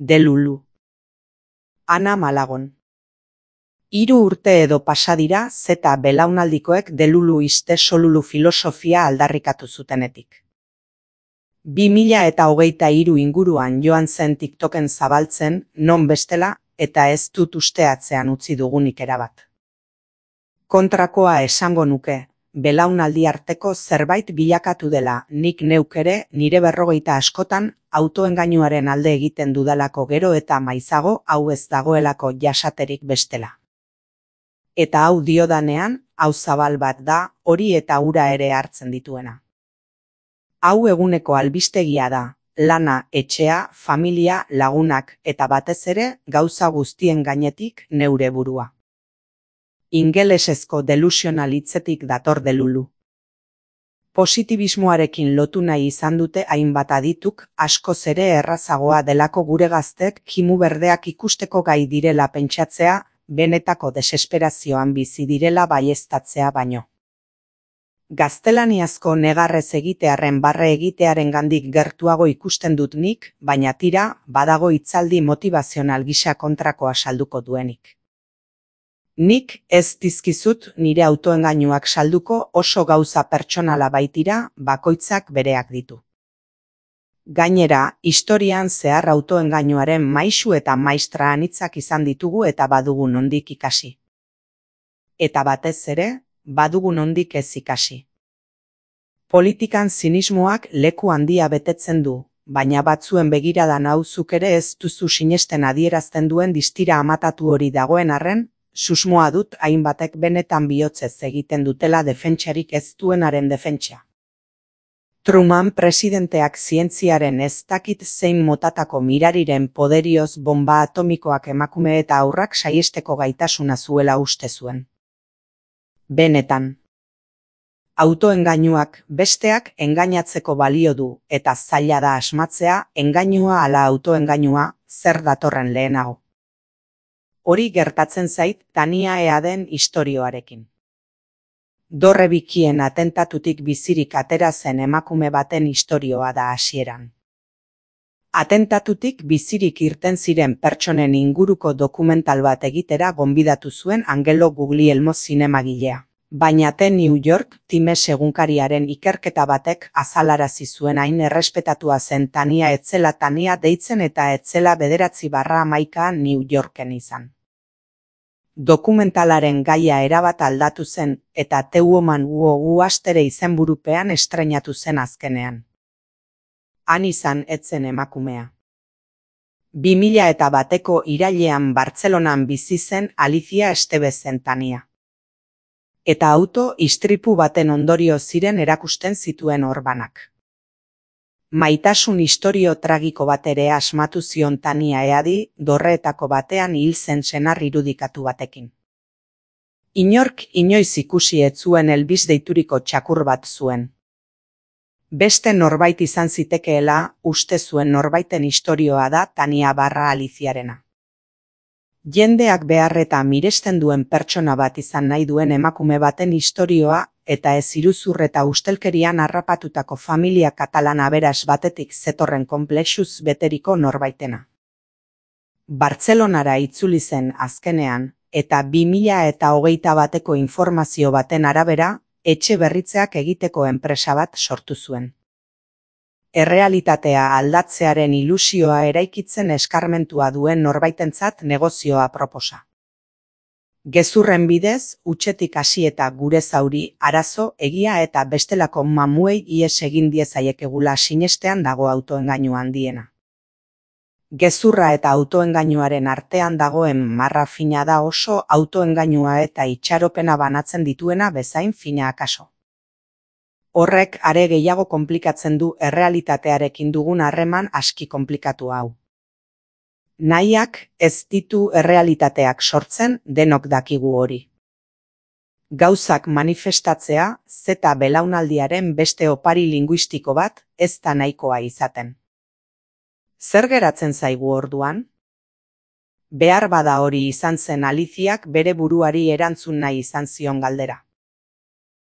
Delulu. Ana Malagon. 3 urte edo pasa dira zeta belaunaldikoek delulu iste solulu filosofia aldarrikatu zutenetik. 2023 inguruan joan zen TikToken zabaltzen, non bestela, eta ez dut usteatzean utzi dugunik erabat. Kontrakoa esango nuke, belaunaldi arteko zerbait bilakatu dela, nik neuk ere nire 40 askotan autoengainuaren alde egiten dudalako gero eta maizago hau ez dagoelako jasaterik bestela. Eta hau diodanean, hau zabal bat da, hori eta hura ere hartzen dituena. Hau eguneko albistegia da, lana, etxea, familia, lagunak eta batez ere gauza guztien gainetik neure burua. Ingelesezko delusional hitzetik dator delulu. Positibismoarekin lotu nahi izan dute hainbat adituk, askoz ere errazagoa delako gure gaztek kimu berdeak ikusteko gai direla pentsatzea, benetako desesperazioan bizi direla baieztatzea baino. Gaztelaniazko negarrez egitearren barre egitearengandik gertuago ikusten dut nik, baina tira, badago hitzaldi motivazional gisa kontrakoa salduko duenik. Nik ez dizkizut nire autoengainuak salduko oso gauza pertsonala baitira, bakoitzak bereak ditu. Gainera, historian zehar autoengainuaren maisu eta maistra anitzak izan ditugu eta badugu nondik ikasi. Eta batez ere, badugu nondik ez ikasi. Politikan zinismoak leku handia betetzen du, baina batzuen begiradan hau zuk ere ez duzu sinesten adierazten duen distira amatatu hori dagoen arren, susmoa dut hainbatek benetan bihotzez egiten dutela defentsarik ez duenaren defentsa. Truman presidenteak zientziaren ez dakit zein motatako mirariren poderioz bomba atomikoak emakume eta haurrak saiesteko gaitasuna zuela uste zuen. Benetan. Autoengainuak besteak engainatzeko balio du eta zaila da asmatzea engainua ala autoengainua zer datorren lehenago. Hori gertatzen zait Tania Eaden istorioarekin. Dorre bikien atentatutik bizirik atera zen emakume baten istorioa da hasieran. Atentatutik bizirik irten ziren pertsonen inguruko dokumental bat egitera gonbidatu zuen Angelo Guglielmo zinemagilea. Baina New York Times egunkariaren ikerketa batek azalarazi zuen hain errespetatua zen Tania etzela Tania deitzen eta etzela 9/11 New Yorken izan. Dokumentalaren gaia erabat aldatu zen eta The Woman Who Astere izenburupean estreinatu zen azkenean. Han izan etzen emakumea. 2001ko irailean Bartzelonan bizi zen Alicia Estebezen Tania. Eta auto istripu baten ondorio ziren erakusten zituen orbanak. Maitasun istorio tragiko bat ere asmatu zion Tania Eadi, dorreetako batean hil zen senar irudikatu batekin. Inork inoiz ikusi ez zuen Elvis deituriko txakur bat zuen. Beste norbait izan zitekeela, uste zuen norbaiten istorioa da Tania / Aliziarena. Jendeak behar eta miresten duen pertsona bat izan nahi duen emakume baten istorioa eta ez iruzur eta ustelkerian harrapatutako familia katalan aberas batetik zetorren konplexuz beteriko norbaitena. Bartzelonara itzuli zen azkenean eta 2021ko informazio baten arabera etxe berritzeak egiteko enpresa bat sortu zuen. Errealitatea aldatzearen ilusioa eraikitzen eskarmentua duen norbaitentzat negozioa proposa. Gezurren bidez, hutsetik hasi eta gure zauri, arazo, egia eta bestelako mamuei ihes egin diezaiekegula sinestean dago autoengainu handiena. Gezurra eta autoengainuaren artean dagoen marra fina da oso autoengainua eta itxaropena banatzen dituena bezain fina akaso. Horrek are gehiago konplikatzen du errealitatearekin dugun harreman aski konplikatu hau. Nahiak ez ditu errealitateak sortzen denok dakigu hori. Gauzak manifestatzea zeta belaunaldiaren beste opari linguistiko bat ez da nahikoa izaten. Zer geratzen zaigu orduan? Behar bada hori izan zen Aliziak bere buruari erantzun nahi izan zion galdera.